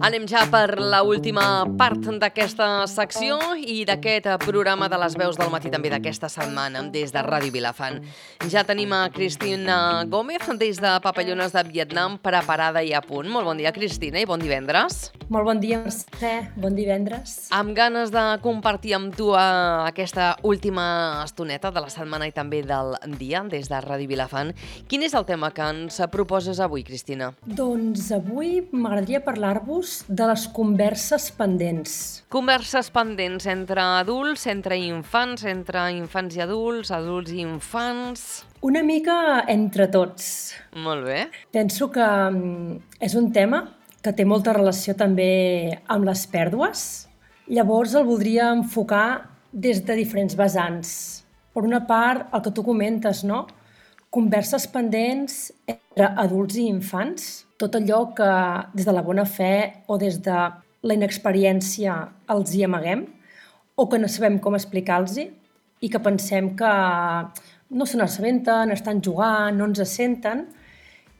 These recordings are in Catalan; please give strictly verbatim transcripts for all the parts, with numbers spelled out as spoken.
Anem ja per la última part d'aquesta secció i d'aquest programa de les veus del matí també d'aquesta setmana des de Ràdio Vilafant. Ja tenim a Cristina Gómez des de Papallones de Vietnam preparada i a punt. Molt bon dia, Cristina, i bon divendres. Molt bon dia, Mercè. Bon divendres. Amb ganes de compartir amb tu aquesta última estoneta de la setmana i també del dia des de Ràdio Vilafant. Quin és el tema que ens proposes avui, Cristina? Doncs avui m'agradaria parlar-vos de les converses pendents. Converses pendents entre adults, entre infants, entre infants i adults, adults i infants... Una mica entre tots. Molt bé. Penso que és un tema que té molta relació també amb les pèrdues. Llavors el voldria enfocar des de diferents vessants. Per una part, el que tu comentes, no? Converses pendents entre adults i infants. Tot allò que des de la bona fe o des de la inexperiència els hi amaguem o que no sabem com explicar-los i que pensem que no se n'assabenten, estan jugant, no ens senten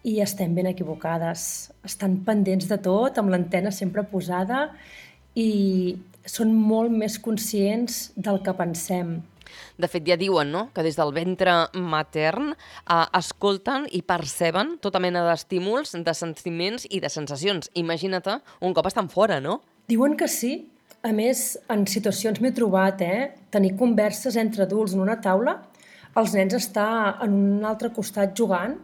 i estem ben equivocades. Estan pendents de tot, amb l'antena sempre posada i són molt més conscients del que pensem. De fet, ja diuen, no?, que des del ventre matern eh, escolten i perceben tota mena d'estímuls, de sentiments i de sensacions. Imagina't un cop estan fora, no? Diuen que sí. A més, en situacions m'he trobat, eh? Tenir converses entre adults en una taula, els nens estar en un altre costat jugant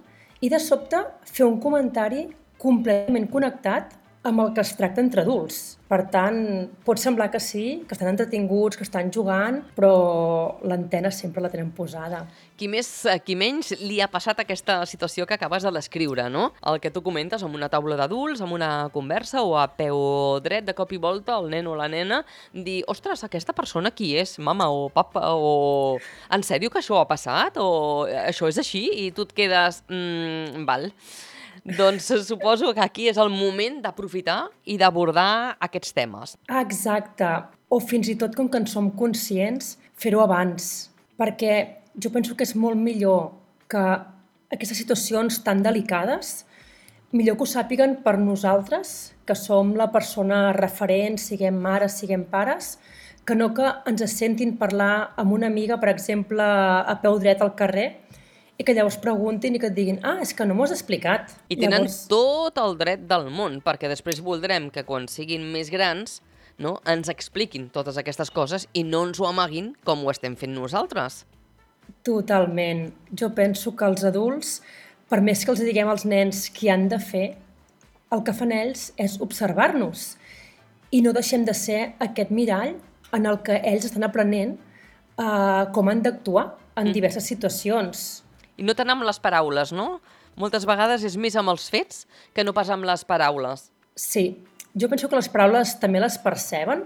i de sobte fer un comentari completament connectat amb el que es tracta entre adults. Per tant, pot semblar que sí, que estan entretinguts, que estan jugant, però l'antena sempre la tenen posada. Qui més, qui menys li ha passat aquesta situació que acabes de descriure, no? El que tu comentes amb una taula d'adults, amb una conversa o a peu dret, de cop i volta, el nen o la nena, dir, ostres, aquesta persona qui és? Mama o papa o... En sèrio que això ha passat? O això és així? I tu et quedes... Mm, val... Doncs suposo que aquí és el moment d'aprofitar i d'abordar aquests temes. Exacte. O fins i tot, com que en som conscients, fer-ho abans. Perquè jo penso que és molt millor que aquestes situacions tan delicades, millor que ho sàpiguen per nosaltres, que som la persona referent, siguem mares, siguem pares, que no que ens sentin parlar amb una amiga, per exemple, a peu dret al carrer, i que llavors preguntin i que et diguin ah, és que no m'ho has explicat. I tenen llavors... tot el dret del món, perquè després voldrem que quan siguin més grans, no, ens expliquin totes aquestes coses i no ens ho amaguin com ho estem fent nosaltres. Totalment. Jo penso que els adults, per més que els diguem als nens què han de fer, el que fan ells és observar-nos i no deixem de ser aquest mirall en el que ells estan aprenent eh, com han d'actuar en diverses situacions. I no tant amb les paraules, no? Moltes vegades és més amb els fets que no pas amb les paraules. Sí, jo penso que les paraules també les perceben,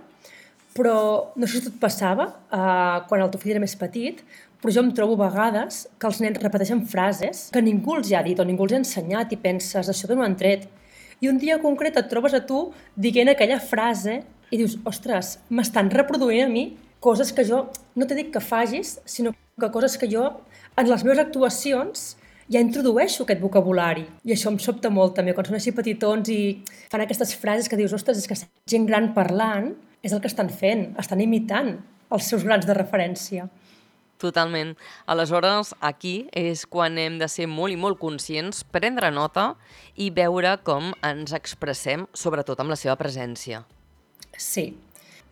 però no sé si tot passava eh, quan el teu fill era més petit, però jo em trobo a vegades que els nens repeteixen frases que ningú els ha dit o ningú els ha ensenyat i penses, això d'on ho han tret? I un dia concret et trobes a tu dient aquella frase i dius, ostres, m'estan reproduint a mi coses que jo no t'he dit que facis, sinó que coses que jo en les meves actuacions ja introdueixo aquest vocabulari. I això em sobta molt també, quan són així petitons i fan aquestes frases que dius, ostres, és que gent gran parlant és el que estan fent, estan imitant els seus grans de referència. Totalment. Aleshores, aquí és quan hem de ser molt i molt conscients, prendre nota i veure com ens expressem, sobretot amb la seva presència. Sí.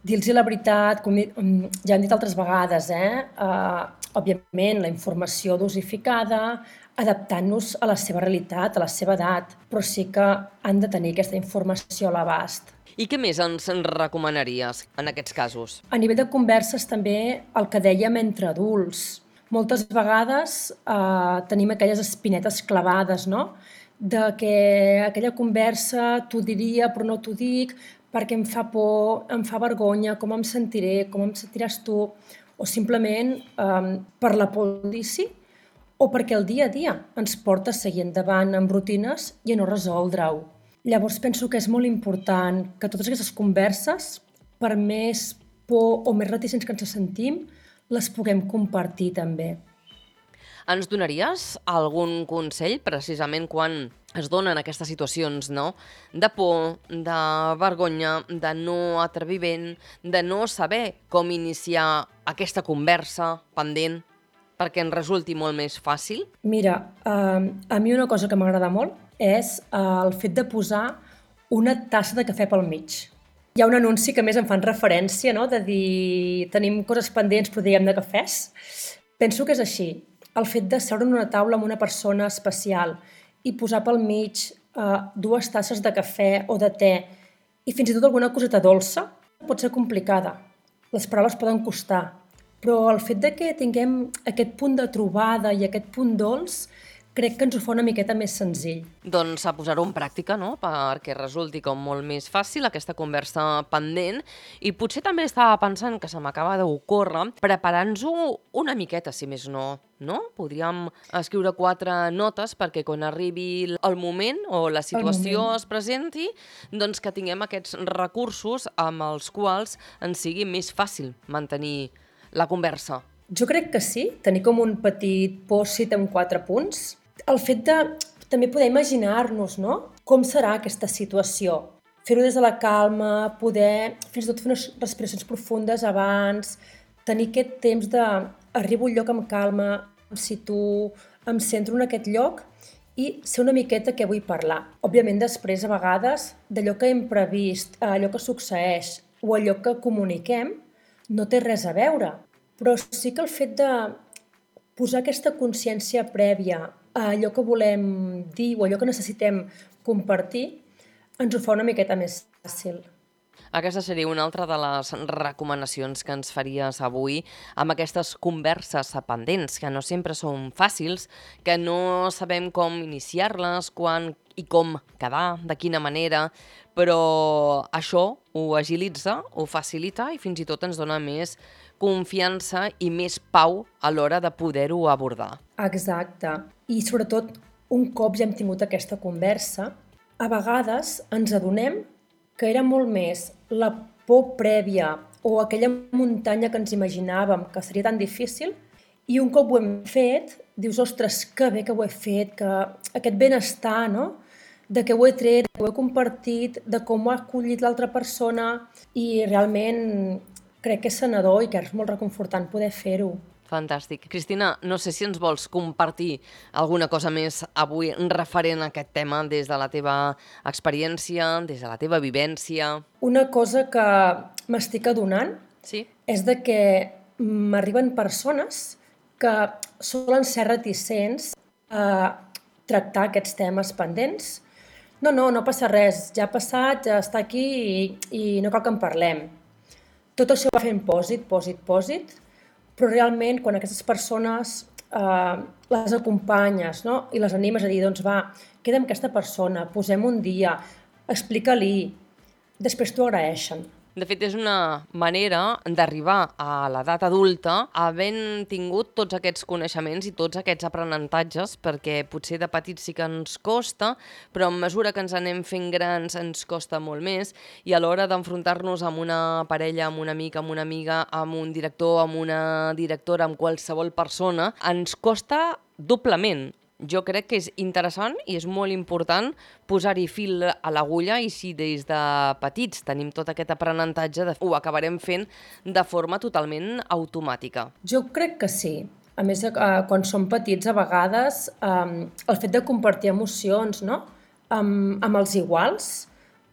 Dir-los la veritat, com ja hem dit altres vegades, eh? Uh, òbviament, la informació dosificada, adaptant-nos a la seva realitat, a la seva edat, però sí que han de tenir aquesta informació a l'abast. I què més ens recomanaries en aquests casos? A nivell de converses també el que dèiem entre adults. Moltes vegades eh, tenim aquelles espinetes clavades, no? De que aquella conversa t'ho diria però no t'ho dic perquè em fa por, em fa vergonya, com em sentiré, com em sentiràs tu, o simplement eh, per la por d'inici o perquè el dia a dia ens porta a seguir endavant amb rutines i a no resoldre-ho. Llavors penso que és molt important que totes aquestes converses, per més por o més reticents que ens sentim, les puguem compartir també. Ens donaries algun consell precisament quan es donen aquestes situacions, no? De por, de vergonya, de no atreviment, de no saber com iniciar aquesta conversa pendent perquè ens resulti molt més fàcil? Mira, eh, a mi una cosa que m'agrada molt és eh, el fet de posar una tassa de cafè pel mig. Hi ha un anunci que a més em fan referència, no?, de dir tenim coses pendents però diguem de cafès. Penso que és així. El fet de seure en una taula amb una persona especial i posar pel mig eh, dues tasses de cafè o de te i fins i tot alguna coseta dolça pot ser complicada. Les paraules poden costar, però el fet de que tinguem aquest punt de trobada i aquest punt dolç crec que ens ho fa una miqueta més senzill. Doncs a posar-ho en pràctica, no?, perquè resulti com molt més fàcil aquesta conversa pendent. I potser també estava pensant, que se m'acaba d'ocórrer, preparant-nos-ho una miqueta, si més no, no? Podríem escriure quatre notes perquè quan arribi el moment o la situació es presenti, doncs que tinguem aquests recursos amb els quals ens sigui més fàcil mantenir la conversa. Jo crec que sí, tenir com un petit post-it amb quatre punts. El fet de també poder imaginar-nos, no?, com serà aquesta situació. Fer-ho des de la calma, poder fins i tot fer unes respiracions profundes abans, tenir aquest temps de arribo al lloc amb calma, em situo, em centro en aquest lloc i ser una miqueta què vull parlar. Òbviament després, a vegades, d'allò que hem previst, allò que succeeix o allò que comuniquem, no té res a veure. Però sí que el fet de posar aquesta consciència prèvia a allò que volem dir o allò que necessitem compartir ens ho fa una miqueta més fàcil. Aquesta seria una altra de les recomanacions que ens faries avui amb aquestes converses pendents, que no sempre són fàcils, que no sabem com iniciar-les, quan i com quedar, de quina manera, però això ho agilitza, ho facilita i fins i tot ens dona més confiança i més pau a l'hora de poder-ho abordar. Exacte. I sobretot, un cop ja hem tingut aquesta conversa, a vegades ens adonem que era molt més la por prèvia o aquella muntanya que ens imaginàvem que seria tan difícil i un cop ho hem fet, dius, ostres, que bé que ho he fet, que aquest benestar, no?, de què ho he tret, de què ho he compartit, de com ho ha acollit l'altra persona i realment crec que és sanador i que és molt reconfortant poder fer-ho. Fantàstic. Cristina, no sé si ens vols compartir alguna cosa més avui referent a aquest tema des de la teva experiència, des de la teva vivència. Una cosa que m'estic adonant Sí? és de que m'arriben persones que solen ser reticents a tractar aquests temes pendents. No, no, no passa res, ja ha passat, ja està aquí i, i no cal que en parlem. Tot això va fent pòsit, pòsit, pòsit, però realment quan aquestes persones eh, les acompanyes, no?, i les animes a dir, doncs va, queda amb aquesta persona, posem un dia, explica-li, després t'ho agraeixen. De fet, és una manera d'arribar a l'edat adulta havent tingut tots aquests coneixements i tots aquests aprenentatges, perquè potser de petits sí que ens costa, però a mesura que ens anem fent grans ens costa molt més, i a l'hora d'enfrontar-nos amb una parella, amb un amic, amb una amiga, amb un director, amb una directora, amb qualsevol persona, ens costa doblement. Jo crec que és interessant i és molt important posar-hi fil a l'agulla i si des de petits tenim tot aquest aprenentatge, ho acabarem fent de forma totalment automàtica. Jo crec que sí. A més, eh, quan som petits, a vegades, eh, el fet de compartir emocions, no?, amb, amb els iguals,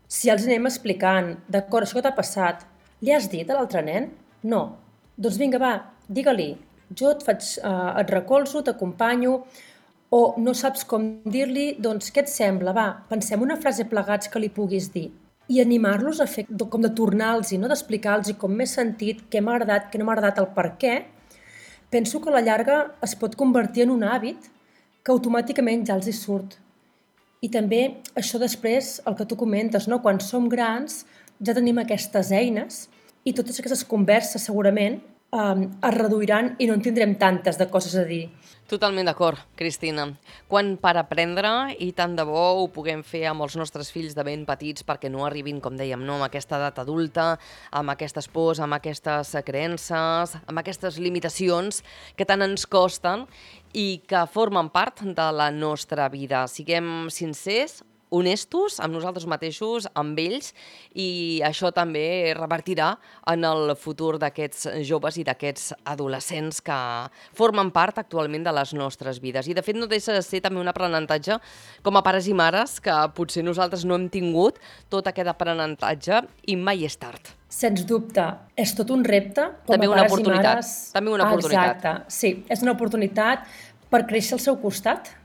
si els anem explicant, d'acord, això que t'ha passat, li has dit a l'altre nen? No. Doncs vinga, va, digue-li. Jo et, faig, eh, et recolzo, t'acompanyo, o no saps com dir-li, doncs què et sembla? Va, pensem una frase plegats que li puguis dir. I animar-los a fer, com de tornar-los, no?, d'explicar-los com m'he sentit, què m'ha agradat, què no m'ha agradat, el per què. Penso que a la llarga es pot convertir en un hàbit que automàticament ja els hi surt. I també això després, el que tu comentes, no?, quan som grans ja tenim aquestes eines i totes aquestes converses segurament eh, es reduiran i no en tindrem tantes de coses a dir. Totalment d'acord, Cristina. Quan per aprendre, i tant de bo ho puguem fer amb els nostres fills de ben petits perquè no arribin, com dèiem, no, amb aquesta edat adulta, amb aquestes pors, amb aquestes creences, amb aquestes limitacions que tant ens costen i que formen part de la nostra vida. Siguem sincers, honestos amb nosaltres mateixos, amb ells, i això també revertirà en el futur d'aquests joves i d'aquests adolescents que formen part actualment de les nostres vides. I de fet no deixa de ser també un aprenentatge com a pares i mares que potser nosaltres no hem tingut tot aquest aprenentatge i mai és tard. Sens dubte, és tot un repte com També a una pares i oportunitat. mares. També una oportunitat. Exacte, sí, és una oportunitat per créixer al seu costat.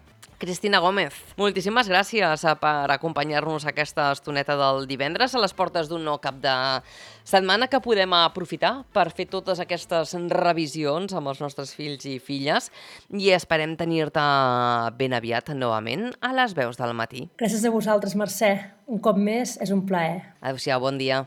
Cristina Gómez, moltíssimes gràcies per acompanyar-nos aquesta estoneta del divendres a les portes d'un nou cap de setmana que podem aprofitar per fer totes aquestes revisions amb els nostres fills i filles i esperem tenir-te ben aviat novament a les veus del matí. Gràcies a vosaltres, Mercè. Un cop més, és un plaer. Adéu-siau, bon dia.